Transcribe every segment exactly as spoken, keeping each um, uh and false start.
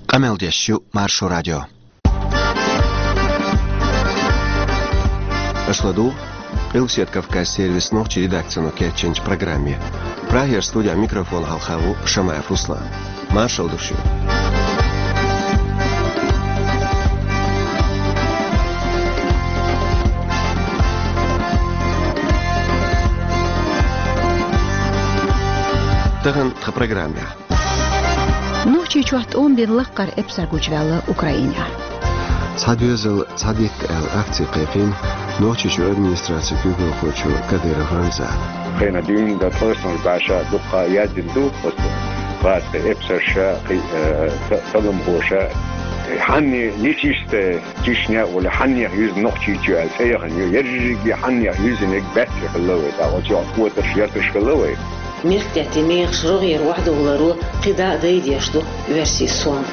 Къамел деш ю Маршо радио. Аша ладугӀу Къилбседа Кавказан сервисан нохчийн редакцино кечйинчу программе. Прагера студехь микрофон хьалха ву Шамаев Руслан. Маршалла ду шуьга. Тахана тхан программехь. Нохчийчохь тӀом бина лаккхара эпсар гучуваьлла Украинехь. «Цхьа доьзал, цхьа дитт» аьлла акци кхайкхийна Нохчийчоьнан администрацин куьйгалхочо Кадыров Рамзана. Кхин дуьйна дан тхасонаш баьша дуккха яздина ду оцу гӀазкхийн эпсарша, кхин, э, та-, талламхоша. Хьанна нечистая Чечня а волу, хьаннех юьзна Нохчийчоь аьлла цӀе яхана ю, ерриге хьаннех юьззинарг баьццара хилла вай, тӀаккха оцу чохь котарш, йоьртарш хилла вай. Мехкдаьттан мехаш рогӀера охьадовларо кхидӀа а дайдеш ду оьрсийн сом.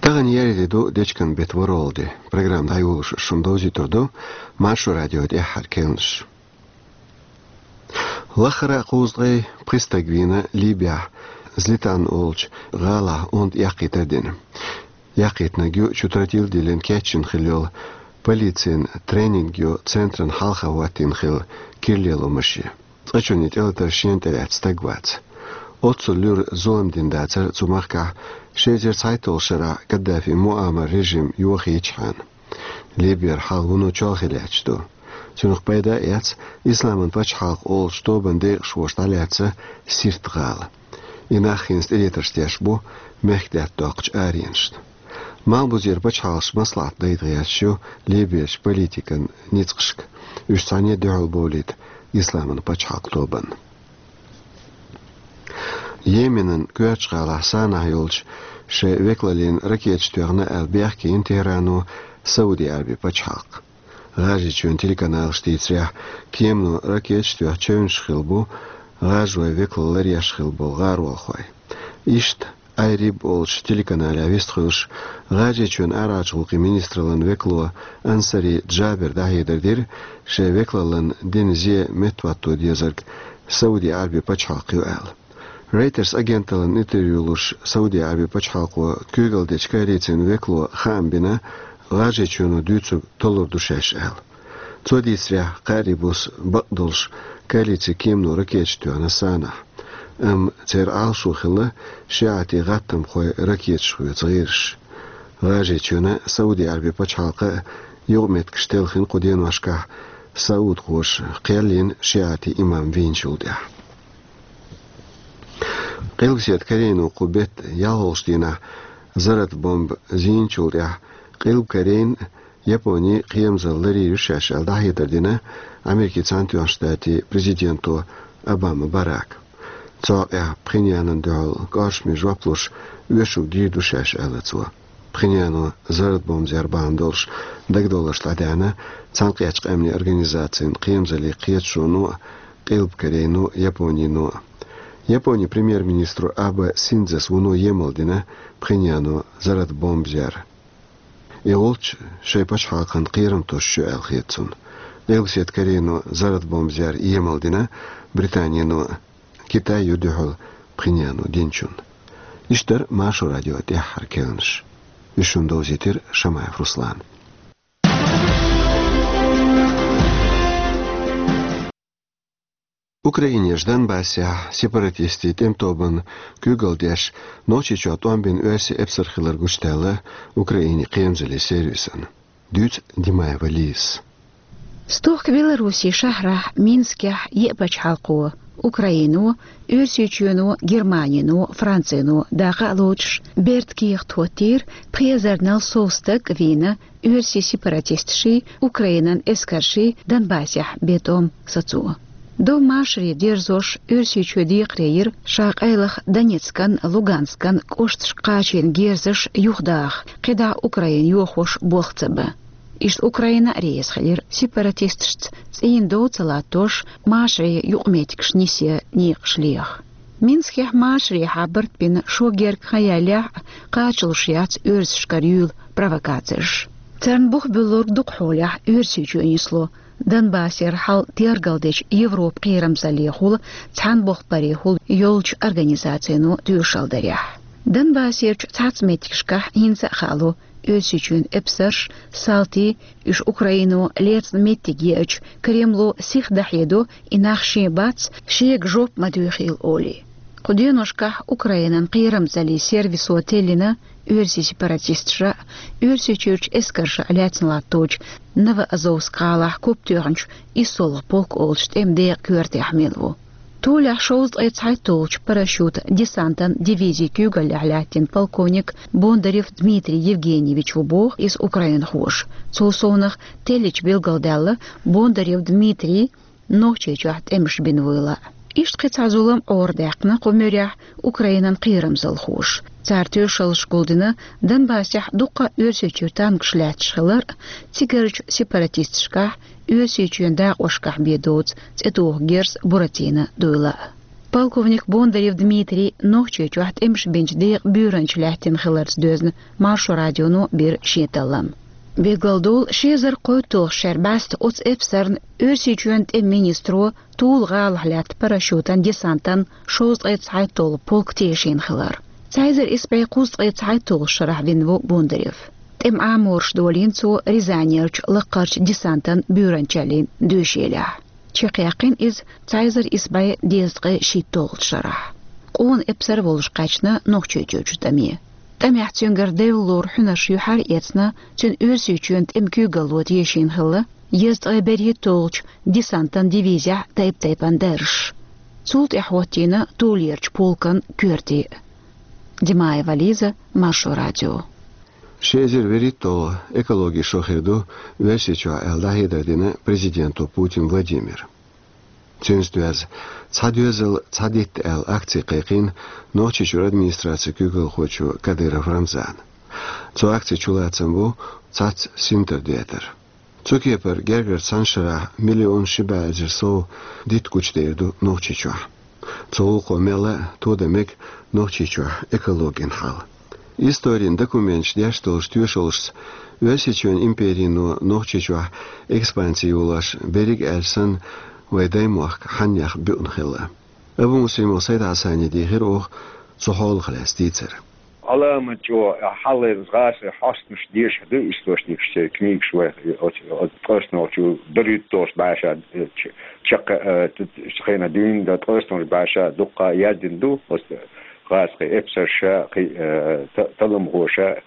Тахана еарин де ду, дечкен беттан ворхӀалгӀа де. Программа дӀайолош шуна довзуьйтур ду Маршо радион тӀаьххьара кхаьънаш. Лаххара а кхузткъе пхи стаг вийна Ливехь Злитан олучу гӀалахь онда яккхийтар дина. Яккхийтинарг ю чу тротил диллина кечйина хилла йолу, полицин тренинг йо центран хьалха хӀоттийна хилла кира лело машен. Цкъачунна тӀелатар шена тӀелаьцна стаг вац. Оццул луьра зулам дина дацара цу махкахь ши эзар цхьайтталгӀачу шарахь Каддафин Муаммаран режим йохийчхьана. Ливера хьал вуно чолхе лаьтташ ду. Цунах пайда а эцна, Исламан пачхьалкх олучу тобанан декъашхоша дӀалаьцна Сирт гӀала. И нах хӀинца тӀелетарш деш бу мехкдаьтта доккхучу аренашна. Малхбузера пачхьалкхаш маслаӀат дайта гӀерташ ю Ливерчу политикан ницкъашка, уьш цхьаьна дуьхьал бовлийта Исламан пачхьалкх тобанна. Йеменан коьртачу гӀалахь Санахь йолчу шайн векалаллина ракеташ тоьхна аьлла бехке йина Техрано Сауди Арабин пачхьалкх. ГӀажарийчоьнан телеканалаша дийцарехь, кемано ракеташ тоьхна чевнаш хилла бу гӀажарой векалалла ларъеш хилла болу гӀаролхой. Иштта Ай-Риб олучу телеканалехь вистхуьлуш, ГӀажарийчоьнан арахьарчу гӀуллакхийн министраллин векало Ансари Джабира дӀахьедар дира, шайн векалаллина дина зе меттахӀотто дезарг Сауди Арабин пачхьалкх ю аьлла. Рейтерс агенталлина интервью луш, Сауди Арабин пачхьалкхо куьйгалла дечу коалицин векало хаам бина ГӀажарийчоьно дуьйцург толлур ду шаьш аьлла. Цо дийцарехь, кхаа бус бакъдолуш коалицин кемано ракеташ тоьхна Санахь. Амма церан Ӏалашо хилла шиӀатийн гӀаттамхойн ракеташ хьоьцу гӀирсаш. ГӀажарийчоьнан а, Сауди Арабин пачхьалкхан а юкъаметтигаш телхина кху деношкахь саудхоша кхел йина шиӀатийн имам вийначул тӀаьхьа. Къилбаседа Корейно кху беттан ялхолгӀачу дийнахь заррат бомба зийначул тӀаьхьа Къилба Корейна Япони кхерамзалла ларйийр ю шаьш аьлла дӀахьедар дина Америкин Цхьаьнатоьхначу Штатийн президенто Обама Барака. Цу хьокъехь Пхеньянна дуьхьал кӀоршаме жоп луш, оьшург дийр ду шаьш аьлла цо. Пхеньяно заррат бомба зер бахьана долуш дагадовларш дӀадаьхьна Цхьаьнакхеттачу Къаьмнийн Организацин кхерамзаллин кхеташоно а, Къилба Корейно а, Японино а. Японин премьер-министро Абе Синдзес вуно емал дина Пхеньяно заррат бомба зер. И гӀулч шайн пачхьалкхан кхерам тосуш ю аьлла хета цунна. Къилбаседа Корейно заррат бомба зер емал дина Британино а. Китай ю дуьхьал Пхеньяно динчунна. Иштта дара Маршо радион тӀаьххьара кхаьънаш. Уьш шуна довзийтира Шамаев Руслана. Украинерчу Донбассехь сепаратистийн тӀематобанна куьйгалла деш, Нохчийчохь тӀом бина оьрсийн эпсар хилар гучудаьлла Украинин кхерамзаллин сервисана. Дуьйцу Димаева Лизас. Стохка Белоруссин шахьарахь Минскехь еа пачхьалкхо, Украино, Оьрсийчоьно, Германино, Францино дакъа а лоцуш, бертан кехат хӀоттийра пхи эзарнал сов стаг а вийна оьрсийн сепаратисташий, Украинан эскарший Донбассехь бен тӀом сацо. Дов машаре дерзош, Оьрсийчоь декхаре йира ша къайлаха Донецкан, Луганскан кӀошташка кхачийна герзаш юхадаха, кхидӀа Украина йохош болх ца бан. Иштта Украина а реза хилира сепаратисташца цӀийнан дов ца латтош, машарийн юкъаметтигаш нисъян некъаш леха. Минскехь машарехьа барт бина шо герга хан яьллехь а, кхачалуш яц оьрсашкара юьйла провокацеш. Царна бух буьллург дукха хьолехь Оьрсийчоь нисло, Донбассера хьал тергалдечу Европан кхерамзаллехула, цхьаьна боху парехула йолчу организацино тоьшалла дарехь. Донбассерчу цхьацца меттигашкахь хӀинца а хаало, Оьрсийчоьнан эпсарш, салтий, уьш Украино лецна меттиг еача, Кремло сиха дӀахьедо, и нах шен бац, шега жоп ма доьхийла олий. Кху деношкахь Украинан кхерамзаллин сервисо теллина, оьрсийн сепаратисташа а, Оьрсийчуьрчу эскарша а лаьцна латточу Новоазовск гӀалахь куп тоьхначу иссолгӀа полк олучу тӀеман декъан коьртехь мел ву. Тулехь шовзткъе цхьайтталгӀачу парашют-десантан дивизин куьйгаллехь лаьттина полковник Бондарев Дмитрий Евгеньевич ву боху иза украинхоша. Цул совнаха теллича билгалдаьлла, Бондарев Дмитрий Нохчийчохь тӀемаш бина вуйла. Иштта кхин цхьа зулам Ӏорадаьккхина кху муьрехь Украинан кхерамзалхоша. Цара тоьшаллаш гулдина Донбассехь дуккха а Оьрсийчуьра танкаш лаьтташ хилар а, цигарчу сепаратисташкахь Оьрсийчоьнан дакъошкахь бен доцу цӀе туху герз Буратино дуйла а. Полковник Бондарев Дмитрий Нохчийчохь тӀемаш бинчу декъан буьйранча лаьттина хиларца доьзна Маршо радионо бира шен таллам. Билгалдолу, ши эзар кхойтталгӀачу шеран бӀаьста оцу эпсарна Оьрсийчоьнан тӀеман министро Тула гӀалахь лаьтта парашютан десантан шовзткъе цхьайтталгӀа полк тешийна хилар. Цхьа эзар исс бӀе кхузткъе цхьайтталгӀачу шарахь вина ву Бондарев. ТӀеман Ӏамораш долийна цо Рязанерчу лакхарчу десантан буьйранчаллин доьшийлехь. Чекхъяьккхина иза цхьа эзар исс бӀе дезткъе шийтталгӀачу шарахь. Къона эпсар волуш кхаьчна Нохчийчуьрчу тӀаме. ТӀамехь цуьнгара девлла лору хьуьнарш юьхьар а эцна, цуьнан Оьрсийчоьнан тӀеман куьйгалло тешийна хилла езткъе берхӀитталгӀачу десантан дивизехь тайп-тайпана даржаш. Цул тӀаьхьа хӀоттийна Тулерчу полкан коьрте. Димаева Лиза, Маршо радио. Ши эзар вуьрхӀитталгӀа экологин шо хир ду Оьрсийчохь аьлла дӀахьедар дина президенто Путин Владимира. Цуьнца доьзна, «Цхьа доьзал, цхьа дитт» аьлла акци кхайкхийна Нохчийчуьра администрацин куьйгалхочо Кадыров Рамзана. Цу акцин чулацам бу цхьацца синтар детар. Цу кепара гергара цхьана шарахь миллион ши бӀе эзар сов дитт гучудер ду Нохчийчохь. Цу гӀуллакхо мелла а тодан мега Нохчийчохь экологин хьал. Историн документаша деш долчу тоьшаллашца, Оьрсийчоьнан империно Нохчийчохь экспанси йолош, берриг а аьлча санна, вайн даймохк хьаннех буьъна хилла. Абумуслимов Сайд-Хьасане дийхира оха цу хьолах лаьцна дийцар. Ӏаламат чӀогӀа хьалхара гӀазкхийн хьостанаш дешаш ду источникаш, церан книгаш вай, оцу, оцу ткъаснолчу берхӀитталгӀачу бӀешеран, э, ч-, чаккха, э, т-, т-, хенахь дуьйна дан ткъаснолчу бӀешеран дуккха яздина ду, оцу гӀазкхийн эпсарша, кхин, э, та-, талламхоша.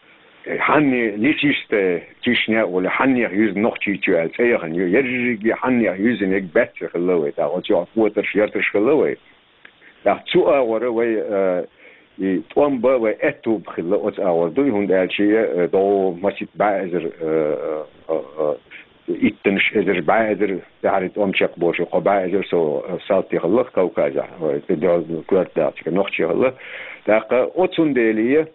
Хьанна нечистая Чечня олий, хьаннех юьзна Нохчийчоь аьлла цӀе яхана ю, ерриге хьаннех юьзна яга баьццара хилла вай, тӀаккха оцу йохь котарш, ярташ хилла вай. ТӀаккха цу агӀора вай, э, и тӀом бан вай аьтту бан хилла оцу агӀор дуй, хӀунда аьлча, э, догӀу масийтта бӀе эзар, э, э, э, иттанаш эзар, бӀе эзар тӀаьхьара тӀом чекхболуш, кхо бӀе эзар сов, э, салти хилла Кавказехь, вай, тӀе догӀу коьрта дахча, Нохчий хилла. ТӀаккха оцундела,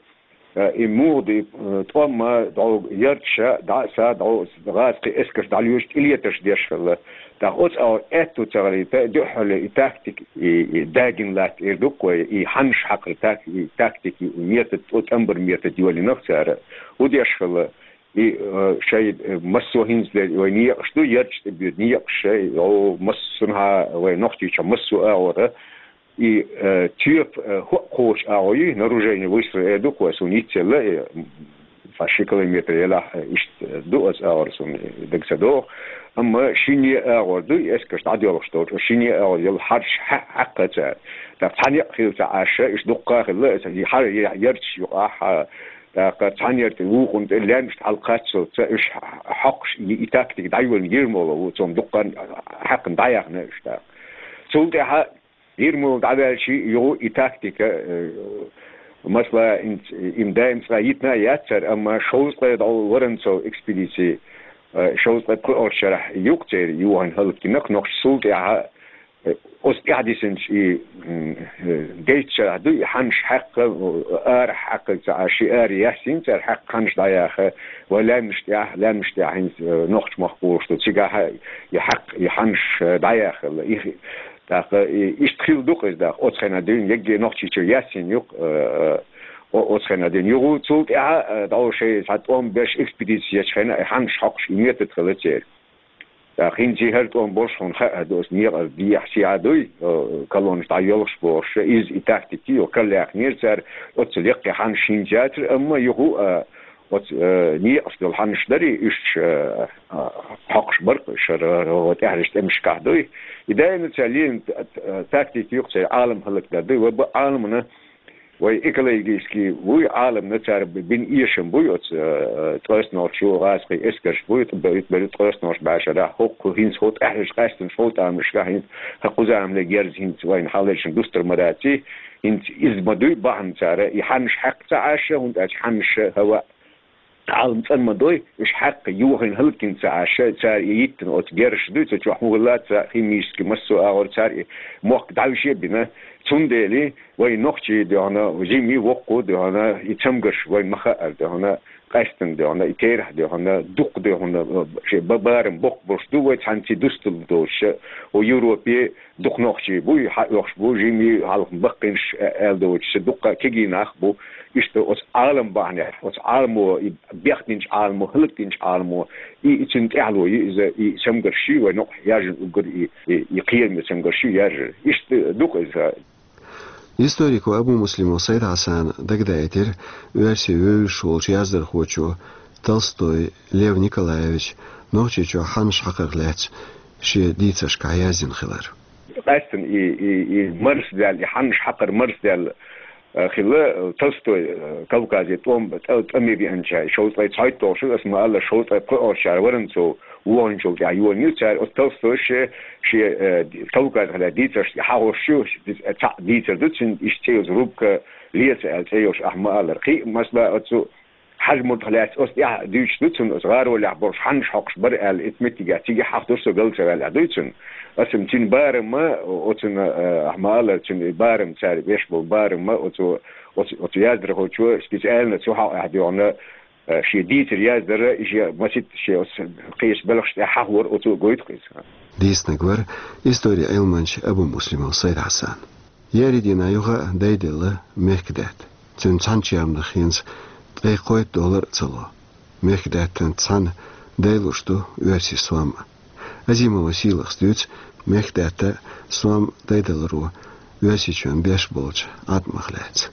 э, и муха ду, э, тӀом а догӀу ярташа дӀа а са, догӀу гӀазкхийн эскарш дӀалоьцуш, тӀелетарш деш хилла. ТӀаккха оцу агӀор аьтту ца гӀалийта, дуьххьарлера и тактика, и, и дагина латта эр ду-кх вай, и хьаннаш хьакхар так-, и тактика, и метод, оцу тӀамбар метод йолийнарх цара. ХӀун деш хилла? И, э, шайн, э, массо а хӀинца дерг вай некъаш ду, ярташ тӀе боьду некъаш шайн, о, массанхьа вай Нохчийчохь массо а агӀора. И, э, тоьпан, э, хӀоъ кхочу агӀо ю, наружение выстрела эр ду-кх вай, суна йицъелла, э, м, цхьа ши километр елахь, э, иштта ду оцу агӀор, суна дага ца догӀу. Амма шинне а агӀор ду, и эскарш дӀадоьлхуш долчу, шинне а агӀор йолу хьарш хьа-, хьаькхна цара. ТӀаккха цхьа некъ хилла ца Ӏаш, иштта дуккха а хилла, и хьар-, я-, ярташ юкъахь, тӀаккха цхьана яртан вукхунна тӀе лаьмнашна хьалакхаччалца уьш хьокхуш, и, и тактика дӀайолийна Ермолов ву, цунна дуккха а хьаькхна дӀаяьхна уьш тӀаккха. Цул тӀаьхьа Ермолов дӀаваьлча, юха и тактика, э, масала, и м-, и м-, даим цкъа йитина а яц цара, амма шовзткъе дӀо Воронцов экспедици, э, шовзткъе пхоьалгӀачу шарахь ю-кх церан йохийна хӀаллакьхиларх нохчий. Цул тӀаьхьа, э, оцу тӀаьхьа дисинчу и, м, э, дейтта шарахь ду и хьаннаш хьаькхна, э, арахь хьаькхна ца Ӏаш, ши ара яьссина цара хьаькхна хьаннаш дӀаяьхна, вай лаьмнаш тӀехь, лаьмнаш тӀехь хӀинца, э, нохчмахка гӀур ду, цигахь а и хьаькхна, и хьаннаш, э, дӀаяьхна хилла. И хи-, тӀаккха и, иштта хилла ду-кх иза, тӀаккха оцу хенахь дуьйна, егге Нохчийчоь яьссина ю-кх, э, э, о-, оцу хенахь дуьйна. Юха цул тӀаьхьа, э, дӀо шайн цхьа тӀом беш экспедици ечу хенахь, и хьаннаш хьокхуш и метод хилла церан. ТӀаккха хӀинца хӀара тӀом болуш хьуна хаьа ду, аса некъа дехьа-сехьа дуй, э, колоннаш дӀайолхуш бохуш, иза и тактика йо, карла яьккхинера цара, оццул яккхий хьанаш хӀинца яцара, амма юха, э, оцу, э, некъаш долу хьанаш дарий, уьш, э, э, хьокхуш бара-кх уьш, хӀара, э, тӀаьхьарчу тӀемашкахь дуй. И даима цара лелийна т-, т-, тактика ю-кх церан Ӏалам хӀаллакдар дуй, ва бакъ Ӏаламна, вай экологически вуй, Ӏаламна цара бина эшам буй оцу, э, ткъеснолчу гӀазкхийн эскарш буй, ткъеснолчу бӀешарахь, хӀокху хӀинца хӀокху тӀаьхьарчу къаьстина шовзткъа тамашкахь хӀинца хӀокху кхузахьа ле герз хӀинца вайна хьалаайшина дустар ма дац, хӀинца иза ма дуй бахьана цара, и хьанаш хьаькхна ца Ӏаш, хӀунда аьлча хьанаш хӀаваъ Ӏалам цӀан ма дой, уьш хьаькхна йохийна хӀаллакйина ца Ӏаш, цара и йиттина оцу герзаш дуй, цу чохь хӀун хилла ца химически массо а агӀор цара и мохк дӀавише а бина. Цундела вай нохчий дуьхьана, жимий воккху дуьхьана, и цамгарш вай ма хаара дуьхьана, къаьстина дуьхьана, и терахь дуьхьана, дукха дуьхьана, шен ба-, барам боккха болуш ду вай цхьаьнций дустал доцуша, хӀу Европе, дукха нохчий бу, и хьаоьхуш бу, жимий хьалха баккхийнаш, а-, аьлла доцуша, дуккха кегий нах бу. Иштта оцу Ӏалам бахьанехь, оцу Ӏаламо, и бехдинчу Ӏаламо, хӀаллакдинчу Ӏаламо, и, и цуьнан тӀаьхьало ю иза, и цамгарш ю вай нохчий яьржина уггар, и, и, и кхераме цамгарш ю яьржира. Иштта ду-кх иза. Историко Абумуслимов Сайд-Хьасана дагадаийтира оьрсий вевзаш волчу яздархочо Толстой Лев Николаевича Нохчийчохь хьанаш хьакхарх лаьцна шен дийцаршкахь яздина хилар. Къаьстина и, и, и марсадаьлла, и хьанаш хьакхар марсадаьлла, э, хилла, э, Толстой, э, Кавказе тӀом-, тӀа-, тӀаме веанчохь, шовзткъе цхьайтталгӀа шо, аса ма-аллара, шовзткъе пхоьалгӀачара варан цо вогӀанчул тӀаьхьа йолийна ю цара, оцу Толстой ше, шен, э, ди-, Кавказехь лаьцна дийцарш хьахьош ю, цхьаъ дийцар ду цуьнан, иштта цӀе йолчу рубка «Леца» аьлла цӀе йолуш, ахь ма-аллара. Кхин а, масала, оцу Хьажа-Мурдах лаьцна оцу тӀехь дуьйцуш ду цунна, оцу гӀаролехь болуш хьанаш хьокхуш бара аьлла, оцу меттигехь цигахь хьахадо со галцаваьллехь дуй цунна. Аса-м цуьнан барам-м, оцунна, э, ахь ма-аллара, цуьнан барам, цара беш болу барам-м, оцу, оцу, оцу яздархочо специально цу хьокъехь дуьхьана, э, шен дийцар яздара, и шен масийтта шен оцу кхечу белхаш тӀехь хьахор оцо гойту-кх иза. Дийцинарг вара историн Ӏилманча Абумуслимов Сайд-Хьасан. Еарин дийнахь юха а дайделла мехкдаьтта. Цуьнан цхьана чермах хӀинца ткъе кхойтта доллар а ца ло. Мехкдаьттанца цхьаьна дайлуш ду оьрсийн сом а. Азимова Сийлахас дуьйцу мехкдаьтта а, сом а дайдаларо Оьрсийчоьнан беш болчу Ӏаткъамах лаьцна.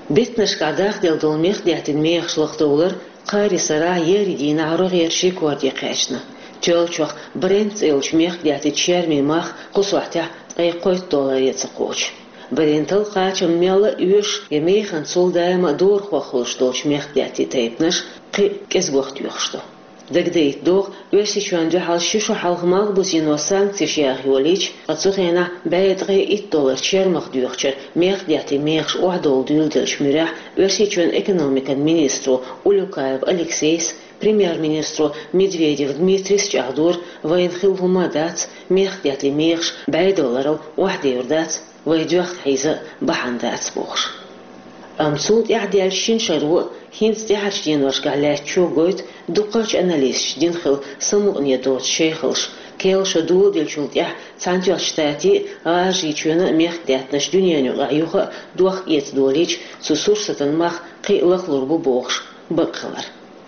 Беттанашкахь дахделла долу мехкдаьттан мехаш лахдовлар кхаарин сарахь еарин дийнахь рогӀера ши рекорде кхаьчна. Тоьллачох Брент цӀе йолчу мехкдаьттан чермийн мах кху сохьтехь ткъе кхойтта долларе ца кхочу. Брентал кхачам мелла а оьшу, я механцул даима а дорахо хуьлуш долчу мехкдаьттан тайпанаш кхин а кӀезигох тоьхуш ду. Дагадайта догӀу, Оьрсийчоьнна дуьхьал ши шо хьалха Малхбузено санкцеш яха йолийча, ткъа цу хенахь бӀе ткъе итт доллар чермах доьхучара мехкдаьттан мехаш охьадовла дуьйладеллачу муьрехь Оьрсийчоьнан экономикан министро Улюкаев Алексейс премьер-министро Медведев Дмитрийс чӀагӀдора, вайна хилла хӀума а дац, мехкдаьттан мехаш бӀе долларал охьадевр дац, вай доьхна хьийза бахьана дац бохуш. Амма цул тӀаьхьа даьллачу шина шаро а, хӀинца тӀаьхьарчу деношкахь лаьттачо а гойту дуккхачу аналисташа дина хилла самукъане доцу шайхаллаш, керла шо доладеллачул тӀаьхьа Цхьаьнатоьхначу Штатийн а, ГӀажарийчоьнан а мехкдаьттанаш дуьненан юкъахь юха а дохка эца долийча, цу сурсатан мах кхин а лахлур бу бохуш бакъ хилар.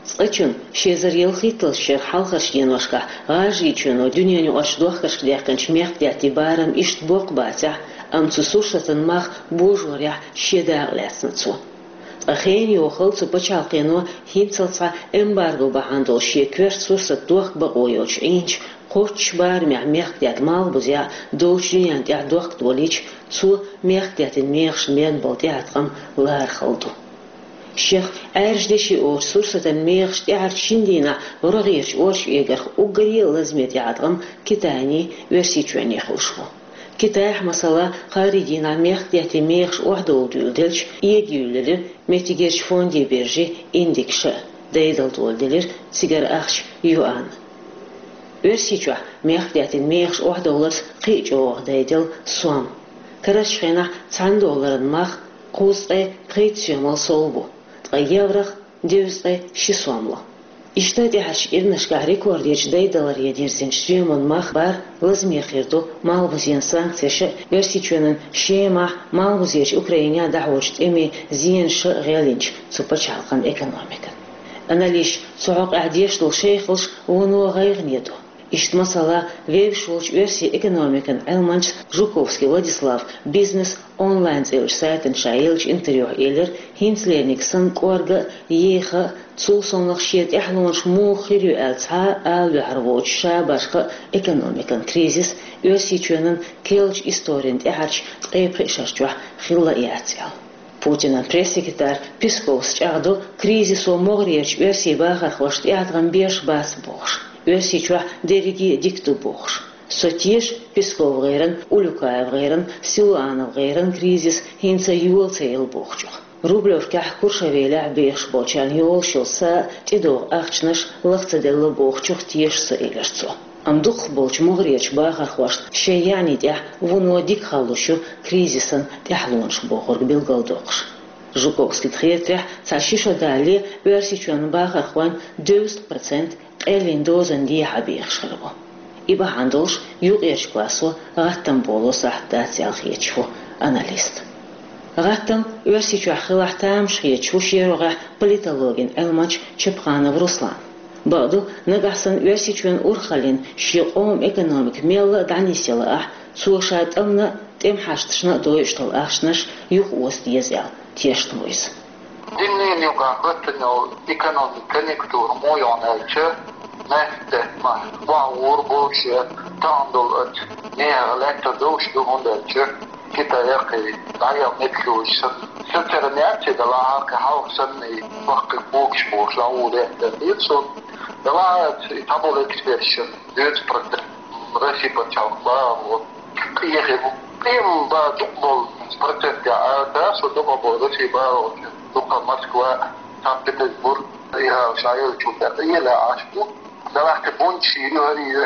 Цкъачунна, ши эзар ялхитталгӀачу шеран хьалхарчу деношкахь ГӀажарийчоьно дуьненаюкъарчу дохкаршка даьккхинчу мехкдаьттан барам иштта боккха бацахь а, амма цу сурсатан мах божорехь шен дакъа лаьцна цо. Ткъа хенан йохалла цу пачхьалкхено хӀинццалц схьа эмбарго бахьана долуш шен коьрта сурсат дохка бакъо йоцуш Ӏийначу кхоччуш барамехь мехкдаьтта Малхбузехь долчу дуьненна тӀехь дохка долийча, цо мехкдаьттан мехаш бен болу тӀеӀаткъам лархалла ду. Шех Ӏаьржа деши олучу сурсатан мехаш тӀаьхьарчу шина дийнахь рогӀерачу орчу эгарх уггаре а лазаме тӀеӀаткъам Китайний, Оьрсийчоьнний хуьлуш бу. Китайхь, масала, кхаарин дийнахь мехкдаьттан мехаш охьадовла дуьйладелча, эгаюьйлира меттигерчу фондийн биржийн индексаш а, дайдала доладелира цигара ахча юань. Оьрсийчохь мехкдаьттан мехаш охьадовларца кхин а чӀогӀа дайделла сом. Карарчу хенахь цхьана долларан мах кхузткъе пхийтта соьмал сов бу, ткъа еврох девзткъе ши сом ло. Иштта тӀаьхьарчу кӀирнашкахь рекордерчу дайдаларе дирзинчу соьман мах бар лазаме хир ду Малхбузен санкцеша а, Оьрсийчоьнан Шемахь, Малхбузерчу Украинехь дӀахьочу тӀемийн зенаша а гӀелйинчу цу пачхьалкхан экономикан. Аналисташа цу хьокъехь деш долу шайхаллаш вуно гӀайгӀане ду. Иштта, масала, вевзаш волчу оьрсийн экономикан Ӏилманчас Жуковский Владислава «Бизнес онлайн» цӀе йолчу сайтана ша еллачу интервьюхь элира, хӀинцалерниг санна кӀорга а, еха а, цул совнаха шен тӀаьхьалонаш муха хир ю аьлла цхьа а ала ваьхьар воцуш, ша башха а экономикан кризис Оьрсийчоьнан керлачу историн тӀаьхьарчу ткъе пхи шарчохь хилла а яц аьлла. Путинан пресс-секретарь Песковс чӀагӀдо, кризисо могӀарерчу оьрсийн бахархошна тӀеӀаткъам беш бац бохуш. Оьрсийчохь дерриге а дика ду бохуш. Со теша Песков-гӀеран, Улюкаев-гӀеран, Силуанов-гӀеран кризис хӀинца йола ца елла бохучух. Рублевкехь, Куршавелехь бехаш болчарна йолуш йолу са а, тӀедогӀу ахчанаш лаха ца делла бохучух теша со, элира цо. Амма дукхахболчу могӀарерчу бахархошна шайн яьӀни тӀехь вуно дика хала луш ю кризисан тӀаьхьалонаш бохург билгалдоккхуш. Жуковскийна хетарехь, цхьа ши шо далале Оьрсийчоьнан бахархойн девяносто процент къеллин дозанна дехьа бехаш хир бу. И бахьана долуш юкъерчу классо гӀаттам боло сахьт дац аьлла хеташ ву аналист. ГӀаттам Оьрсийчохь хилахь тамаш хеташ ву шен рогӀехь политологин Ӏилманча Чапханов Руслан. Бакъду, нагахь санна Оьрсийчоьнан урхаллин шен къоман экономика мелла а дӀанисъяла ахь, цо ша тӀамна а, тӀемахьашташна а дойуш долу ахчанаш юхаоза деза аьлла, тешна ву иза. Диннийн юкъахь хӀоьттина йолу экономикан конъюнктура муха ю аьлча, нефть тӀе ма бохьур болуш я, тахана долу оцу нехан лаьттар долуш ду, хӀунда аьлча Китайх и дӀаяла меттиг йолуш санна. Соцуьнан реакция далахьара кхин хьалха санна и баккхий когаш бохуш дӀагӀур яц аьлла хета суна. Далахьара и цхьаболу эксперташна девяносто процент Россия пачхьалкх бахархо къехи бу. Къеман бан дукха болу процентехь ара, со дукха болу Россия бахархочун дукха Москва, Санкт-Петербург, и гӀала ша йолчу тӀе къелла Ӏаш бу. Далахь тӀе бунчаш йоьхур ю,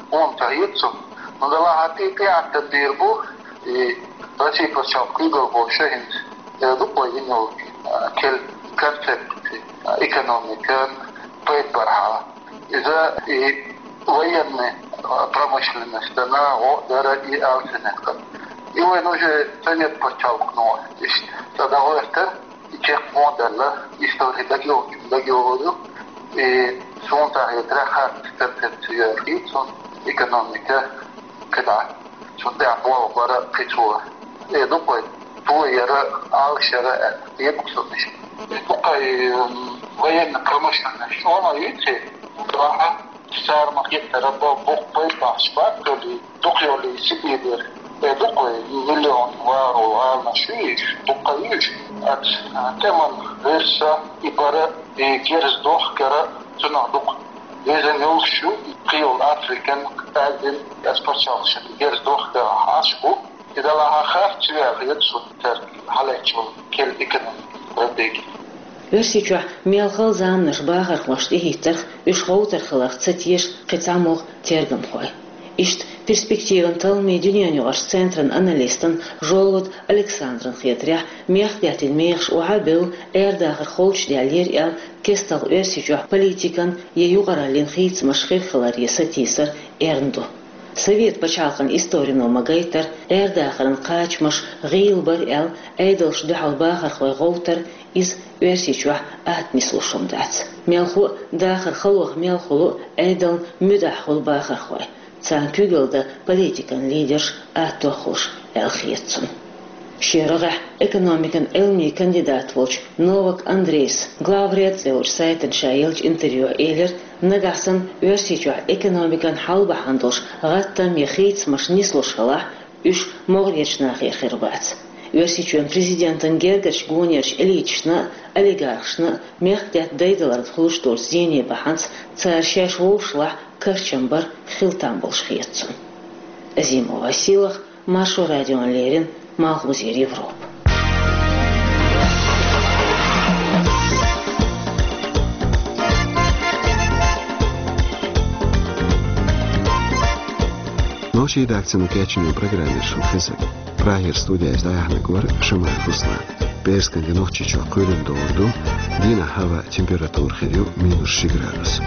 хӀума ца хета цунна. Ну, далахь тӀе тӀеӀаьттан дийр бу, и Россия пачхьалкх куьйгалхоша хӀинца, э, дукха вай йина йолу, э, кел-, концепция, э, экономикан, пайда бархьа. Иза и военный, э, промышленностана гӀо дара и алсинехкан. И вайн уже совет пачхьалкхано иштта цӀа дӀагӀоьртира. И чекх мо а делла, истори дагайо-, дагайогӀур ю. И суна ца хетарехь, харц концепция йоьху хета суна, экономика кхидӀа. Цунна тӀехь болх бара кхин цо. Э, дукха вай тояра, алашара, э, декъа суна иштта. Дукха и, м, военная промышленность чӀогӀа ма юьйцу, бахьа. Цара ма-хеттара бо-, боккха пайда бахча баккхалли, дукха йолу Сибирера, э, дукха миллион вагӀархо гӀаланаш ю иза, дукха ю иза. Оцу, а, тӀеман гӀирса и бара, и герз дохкара цунах дукха везан йолуш ю, и кхин йолу Африкан, Азин, оцу пачхьалкхашна герз дохкара хьаш бу. И далахь харц ю аьлла хета суна цаьрга хьалаьцча йолу кел-, экономикан стратеги. Оьрсийчохь мел хала заманаш бахархошна тӀехӀиттарх, уьш гӀовтар хиларх ца теша кхин цхьа могӀа тергамхой. Иштта, «Перспективан» талламийн дуьненаюкъарчу центран аналистан Жолвод Александран хетарехь, мехкдаьттан мехаш охьа а бевлла, Ӏер-дахар холчудаьллера аьлла, кестта Оьрсийчохь политикан я юкъараллин хийцамаш хир хиларе сатийсар эрна ду. Совет пачхьалкхан историно ма-гайтара, Ӏер-дахаран кхачамаш гӀийла бара аьлла, Ӏедалшна дуьхьал бахархой гӀовтар, иза Оьрсийчохь атта нислуш хӀума дац. Мелхо а, дахар халох мел хуьлу а, Ӏедална муьтӀахь хуьлу бахархой, царна куьйгалла дан политикан лидерш аттох хуьлуш, аьлла хета цунна. Шен рогӀехь экономикан Ӏилмийн кандидат волчу Новак Андрейс «Главред» цӀе йолчу сайтана ша еллачу интервьюхь элира, нагахь санна Оьрсийчохь экономикан хьал бахьана долуш гӀаттам я хийцамаш нислуш хилахь, уьш могӀарерчу нахера хир бац. Оьрсийчоьнан президентан гергарчу гонерчу элиташна а, олигархашна а мехкдаьтта дайдаларна хуьлуш долчу зене бахьанца цара шаьш вовшашлахь карчам бар хила там болуш хета цунна. Азимова Василах, Маршо радиона леррина, Малхбузера Европа. Нохчийн редакцино кечйина программа яра шуна хезира. Прагера студиехь дӀаяьхьнарг вара Шамаев Руслан. ПӀераскан де Нохчийчохь кхоьлина догӀур ду, дийнахь хӀаваан температура хир ю минус ши градус.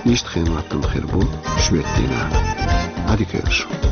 Иштта хенан хӀоттам хир бу шоьтан дийнахь. Ӏадика йойла шун.